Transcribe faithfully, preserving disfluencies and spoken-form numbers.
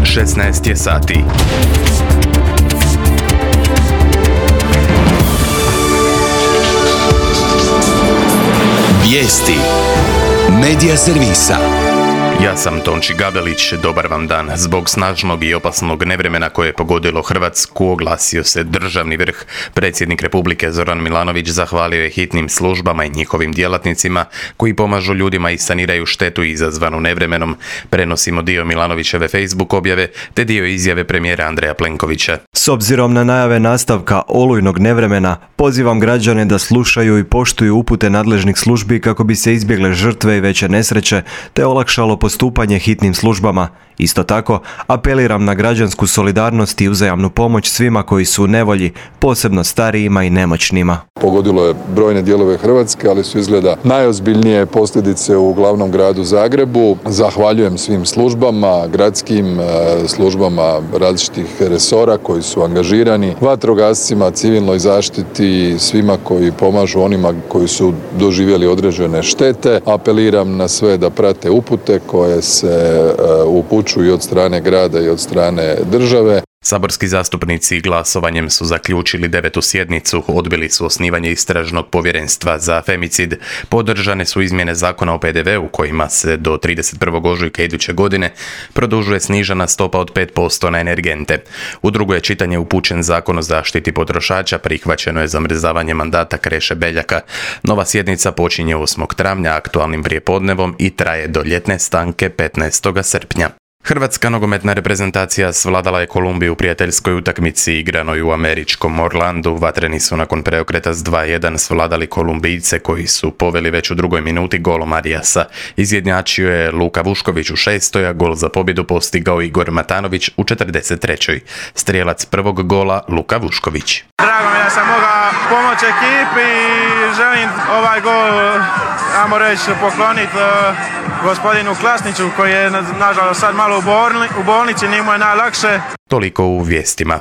šesnaest je sati. Vijesti Medija servisa. Ja sam Tonči Gabelić, dobar vam dan. Zbog snažnog i opasnog nevremena koje je pogodilo Hrvatsku, oglasio se državni vrh. Predsjednik Republike Zoran Milanović zahvalio je hitnim službama i njihovim djelatnicima koji pomažu ljudima i saniraju štetu izazvanu nevremenom. Prenosimo dio Milanovićeve Facebook objave te dio izjave premijera Andreja Plenkovića. S obzirom na najave nastavka olujnog nevremena, pozivam građane da slušaju i poštuju upute nadležnih službi kako bi se izbjegle žrtve i veće nesreće te olakšalo postupanje hitnim službama. Isto tako, apeliram na građansku solidarnost i uzajamnu pomoć svima koji su u nevolji, posebno starijima i nemoćnima. Pogodilo je brojne dijelove Hrvatske, ali su izgleda najozbiljnije posljedice u glavnom gradu Zagrebu. Zahvaljujem svim službama, gradskim službama različitih resora koji su angažirani, vatrogascima, civilnoj zaštiti, svima koji pomažu onima koji su doživjeli određene štete. Apeliram na sve da prate upute koje se upućuju i od strane grada i od strane države. Saborski zastupnici glasovanjem su zaključili devetu sjednicu, odbili su osnivanje istražnog povjerenstva za femicid, podržane su izmjene zakona o P D V-u kojima se do trideset prvog ožujka iduće godine produžuje snižena stopa od pet posto na energente. U drugo je čitanje upućen zakon o zaštiti potrošača, prihvaćeno je zamrzavanje mandata Kreše Beljaka. Nova sjednica počinje osmog travnja aktualnim prijepodnevom i traje do ljetne stanke petnaestog srpnja. Hrvatska nogometna reprezentacija svladala je Kolumbiju u prijateljskoj utakmici igranoj u američkom Orlandu. Vatreni su nakon preokreta s dva jedan svladali Kolumbijce koji su poveli već u drugoj minuti golom Arijasa. Izjednačio je Luka Vušković u šestoj, a gol za pobjedu postigao Igor Matanović u četrdeset trećoj. Strijelac prvog gola Luka Vušković. Drago mi je da sam mogao pomoći ekipi i želim ovaj gol, ajmo reći, pokloniti gospodinu Klasniću koji je nažalost sad malo u bolnici, nije mu je najlakše. Toliko u vijestima.